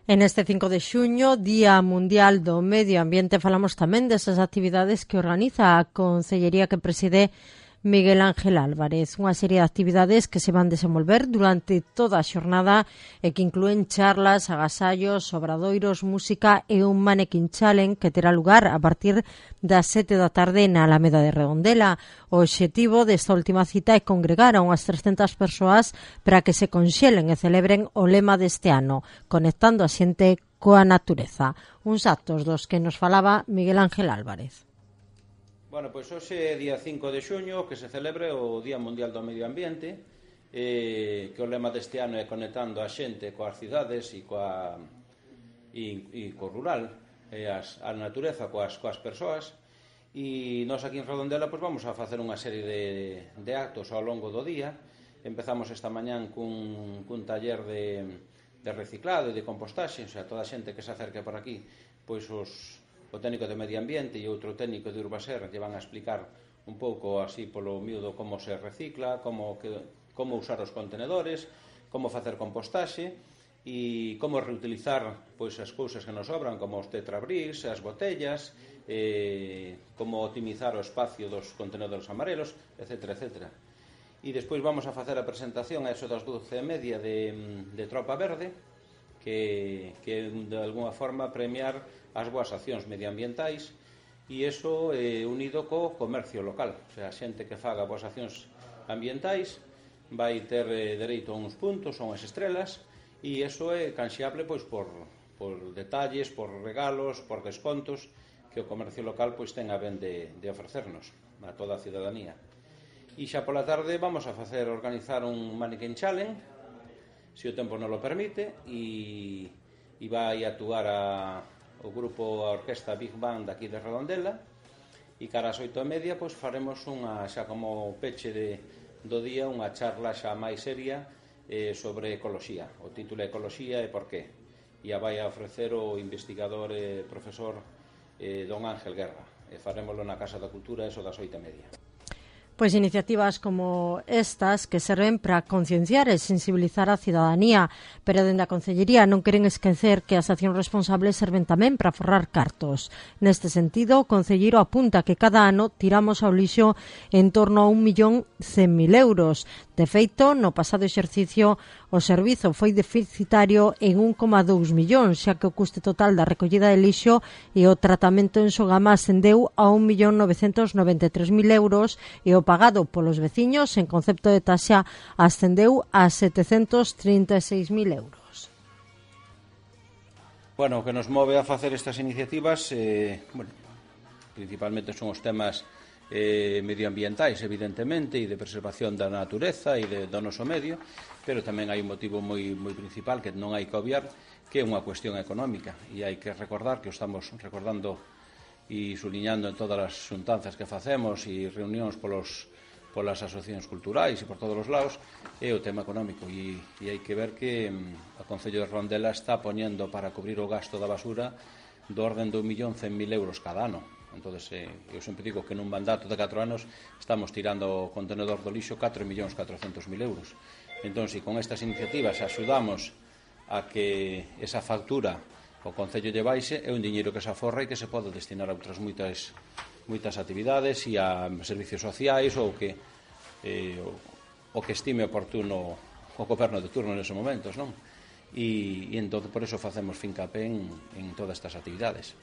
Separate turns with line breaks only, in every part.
En este 5 de xuño, Día Mundial do Medio Ambiente, falamos tamén desas actividades que organiza a Concellería que preside Miguel Ángel Álvarez. Unha serie de actividades que se van desenvolver durante toda a xornada e que inclúen charlas, agasallos, obradoiros, música e un Mannequin Challenge que terá lugar a partir das 7 da tarde na Alameda de Redondela. O obxectivo desta última cita é congregar a unhas 300 persoas para que se conxelen e celebren o lema deste ano, conectando a xente coa natureza. Uns actos dos que nos falaba Miguel Ángel Álvarez.
Bueno, pois hoxe é día 5 de xuño que se celebre o Día Mundial do Medio Ambiente, que o lema deste ano é conectando a xente coas cidades e co rural, a natureza coas persoas. E nós aquí en Redondela pois vamos a facer unha serie de actos ao longo do día. Empezamos esta mañán cun taller de reciclado e de compostaxe, o sea, toda a xente que se acerque por aquí, pois o técnico de Medio Ambiente e outro técnico de Urbaser lle van a explicar un pouco así polo miúdo como se recicla, como usar os contenedores, como facer compostaxe e como reutilizar pois as cousas que nos sobran, como os tetrabricks, as botellas, como optimizar o espacio dos contenedores amarelos, etc. E despois vamos a facer a presentación a eso das 12:30 de Tropa Verde, que de alguna forma premiar as boas accións medioambientais e iso unido co comercio local. O sea, a xente que faga boas accións ambientais vai ter dereito a uns puntos, a unhas estrelas, e iso é canxeable pois por detalles, por regalos, por descontos que o comercio local pois ten a ben de ofrecernos a toda a cidadanía. E xa pola tarde vamos a organizar un Mannequin Challenge, se o tempo non lo permite, e vai actuar o grupo, a orquesta Big Band aquí de Redondela, e cara ás 8:30 pois faremos xa como peche do día unha charla xa máis seria sobre ecoloxía. O título é Ecoloxía e por qué, e a vai a ofrecer o investigador profesor don Ángel Guerra, e farémoslo na Casa da Cultura eso das 8:30.
Pois iniciativas como estas que serven para concienciar e sensibilizar a cidadanía, pero dende a Concellería non queren esquecer que as accións responsables serven tamén para forrar cartos. Neste sentido, o concelleiro apunta que cada ano tiramos ao lixo en torno a 1.100.000 euros. De feito, no pasado exercicio, o servizo foi deficitario en 1,2 millóns, xa que o custe total da recollida de lixo e o tratamento en Sogama ascendeu a 1.993.000 euros e o pagado polos veciños en concepto de taxa ascendeu a 736.000 euros.
Bueno, o que nos move a facer estas iniciativas, principalmente son os temas medioambientais, evidentemente, e de preservación da natureza e do noso medio, pero tamén hai un motivo moi principal que non hai que obviar, que é unha cuestión económica, e hai que recordar que o estamos recordando e suliñando en todas as xuntanzas que facemos e reunións polas asociacións culturais e por todos os lados, é o tema económico, e hai que ver que o Concello de Redondela está poñendo para cubrir o gasto da basura do orden de 1.100.000 euros cada ano. Entón, eu sempre digo que nun mandato de 4 anos estamos tirando o contenedor do lixo 4.400.000 euros. Entón, se con estas iniciativas axudamos a que esa factura o Concello lle baixe, é un diñeiro que se aforra e que se pode destinar a outras moitas actividades e a servicios sociais ou que estime oportuno o goberno de turno neses momentos, non? E entón, por eso facemos fincapé en todas estas actividades.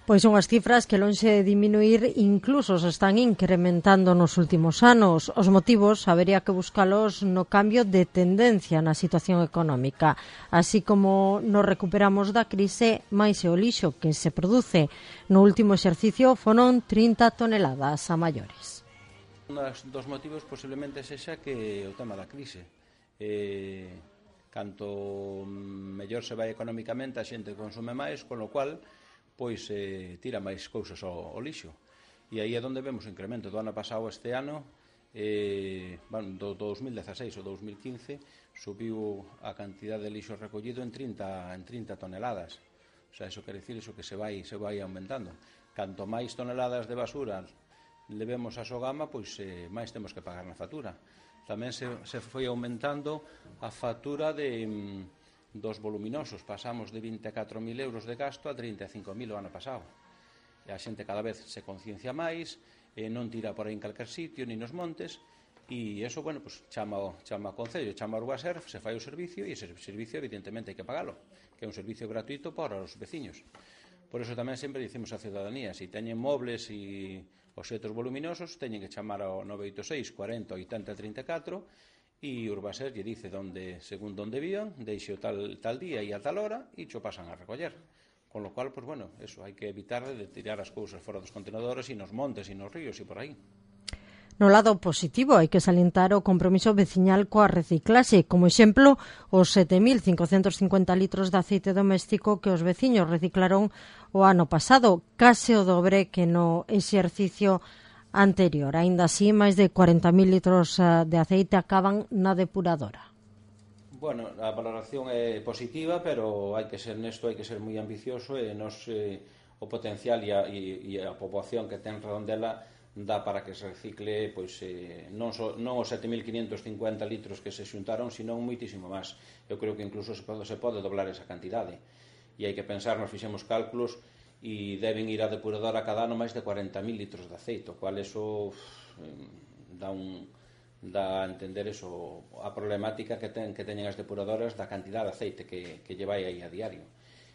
Pois son as cifras que lonxe de diminuir incluso se están incrementando nos últimos anos. Os motivos habería que buscalos no cambio de tendencia na situación económica. Así como nos recuperamos da crise, máis o lixo que se produce. No último exercicio foron 30 toneladas a maiores.
Un dos motivos posiblemente sexa que o tema da crise. Canto mellor se vai económicamente, a xente consume máis, con lo cual pois tira máis cousas ao lixo. E aí é onde vemos o incremento. Do ano pasado este ano, do 2016 ou 2015, subiu a cantidad de lixo recollido en 30 toneladas. O sea, eso quere dicir que se vai aumentando. Canto máis toneladas de basura levemos a Sogama, pois máis temos que pagar na factura. Tamén se foi aumentando a factura de dos voluminosos pasamos de 24.000 euros de gasto a 35.000 o ano pasado. E a xente cada vez se conciencia máis, non tira por aí en calquer sitio, ni nos montes, e iso, bueno, pues, chama o Concello, chama o Urbaser, se fai o servicio, e ese servicio, evidentemente, hai que pagalo, que é un servicio gratuito para os veciños. Por eso tamén sempre dicimos á ciudadanía, se teñen mobles e obxetos voluminosos, teñen que chamar ao 986 40 80 34, e Urbaser lle dice según onde vían, deixe o tal día e a tal hora, e cho pasan a recoller. Con lo cual, pues bueno, eso, hai que evitar de tirar as cousas fora dos contenedores e nos montes e nos ríos e por aí.
No lado positivo, hai que salientar o compromiso veciñal coa reciclaxe. Como exemplo, os 7.550 litros de aceite doméstico que os veciños reciclaron o ano pasado, case o dobre que no exercicio anterior. Aínda así, máis de 40.000 litros de aceite acaban na depuradora.
Bueno, a valoración é positiva, pero hai que ser moi ambicioso e o potencial e a poboación que ten Redondela dá para que se recicle non os 7.550 litros que se xuntaron, sino moitísimo máis. Eu creo que incluso se pode doblar esa cantidade. E hai que pensar, nos fixemos cálculos e deben ir a depuradora cada ano máis de 40.000 litros de aceite, o cual eso dá a entender a problemática que teñen as depuradoras da cantidad de aceite que lle vai aí a diario.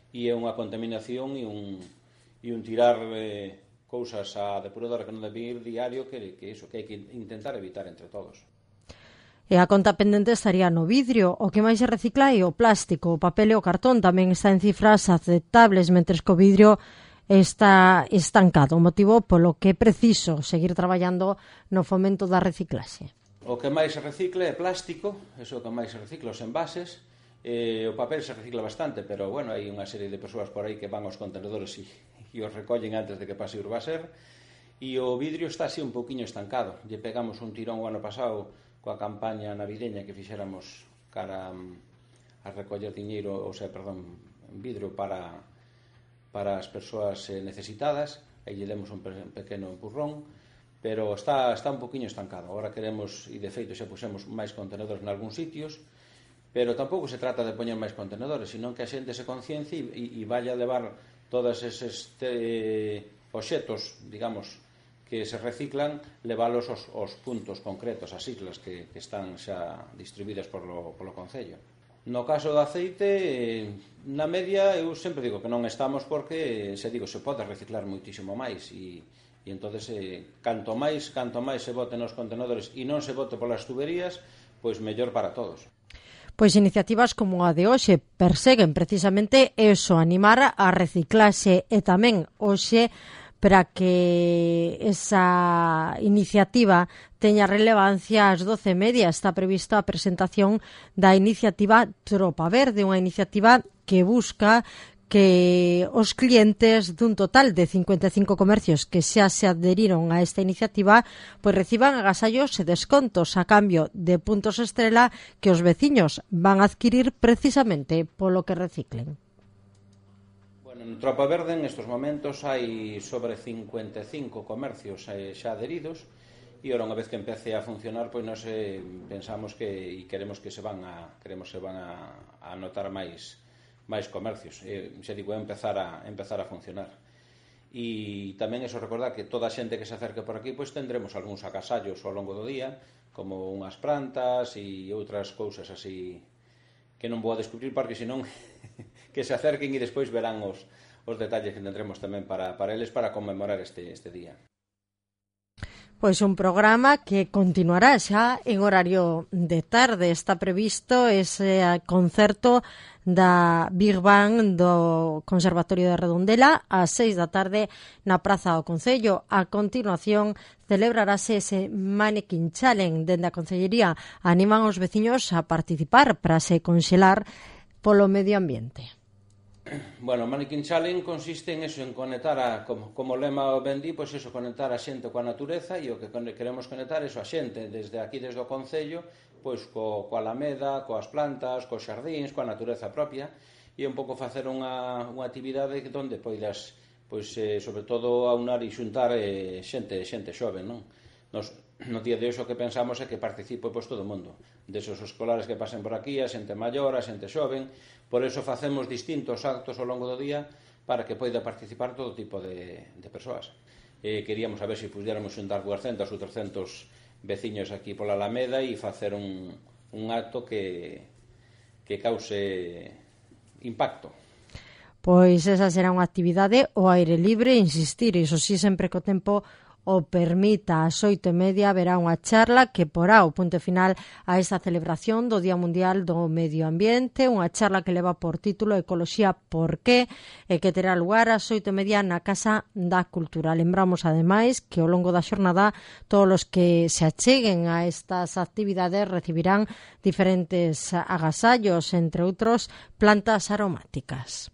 E é unha contaminación e un tirar cousas á depuradora que non debe ir diario que hai que intentar evitar entre todos.
E a conta pendente estaría no vidrio. O que máis se recicla é o plástico, o papel e o cartón tamén está en cifras aceptables, mentres que o vidrio está estancado, motivo polo que é preciso seguir traballando no fomento da reciclaxe.
O que máis se recicla é plástico, eso é o que máis se recicla, os envases. O papel se recicla bastante, pero bueno, hai unha serie de persoas por aí que van aos contenedores e os recollen antes de que pase o Urbaser. E o vidrio está así un pouquiño estancado. Lle pegamos un tirón o ano pasado coa campaña navideña que fixéramos cara a recoller diñeiro, vidro para as persoas necesitadas. Aí lle demos un pequeno empurrón, pero está un poquinho estancado. Agora queremos, e de feito xa puxemos máis contenedores nalgúns sitios, pero tampouco se trata de poñer máis contenedores, sino que a xente se conciencie e vaya a levar todos eses obxetos, digamos, que se reciclan, leválos aos puntos concretos, as islas que están xa distribuídas polo Concello. No caso do aceite, na media, eu sempre digo que non estamos porque, se pode reciclar moitísimo máis e entonces canto máis se bote nos contenedores e non se bote polas tuberías, pois mellor para todos.
Pois iniciativas como a de hoxe perseguen precisamente eso, animar a reciclaxe e tamén hoxe para que esa iniciativa teña relevancia ás 12:30 está prevista a presentación da iniciativa Tropa Verde, unha iniciativa que busca que os clientes dun total de 55 comercios que xa se adheriron a esta iniciativa pois reciban agasallos e descontos a cambio de puntos estrela que os veciños van a adquirir precisamente polo que reciclen.
Bueno, en Tropa Verde en estos momentos hai sobre 55 comercios xa adheridos e ora unha vez que empece a funcionar pois nós pensamos que e queremos que se van a notar máis comercios, xa digo, empezar a funcionar. E tamén eso, recordar que toda a xente que se acerque por aquí pois tendremos algúns agasallos ao longo do día, como unhas plantas e outras cousas así que non vou a descubrir porque senón que se acerquen e despois verán os detalles que tendremos tamén para eles para conmemorar este día.
Pois un programa que continuará xa en horario de tarde. Está previsto ese concerto da Big Bang do Conservatorio de Redondela ás 6 da tarde na Praza do Concello. A continuación celebrarase ese Mannequin Challenge. Dende a Concellería animan os veciños a participar para se conxelar polo medio ambiente.
Bueno, o Mannequin Challenge consiste en eso, en conectar como lema o Bendi, pois eso, conectar a xente coa natureza e o que queremos conectar é a xente desde o Concello, pois coa Alameda, coas plantas, cos xardíns, coa natureza propia e un pouco facer unha actividade onde poidas, pois sobre todo aunar e xuntar xente xove, non? Nos no día de hoxe o que pensamos é que participe pois todo o mundo, desos escolares que pasen por aquí, a xente maior, a xente xoven. Por eso facemos distintos actos ao longo do día para que poida participar todo tipo de persoas. Queríamos saber se pudiéramos xuntar 200 ou 300 veciños aquí pola Alameda e facer un acto que cause impacto.
Pois esa será unha actividade ao aire libre, insistir, iso sí, sempre que o tempo o permita. Ás 8:30 haberá unha charla que porá o punto final a esta celebración do Día Mundial do Medio Ambiente, unha charla que leva por título Ecoloxía por qué, e que terá lugar ás 8:30 na Casa da Cultura. Lembramos, ademais, que ao longo da xornada todos os que se acheguen a estas actividades recibirán diferentes agasallos, entre outros plantas aromáticas.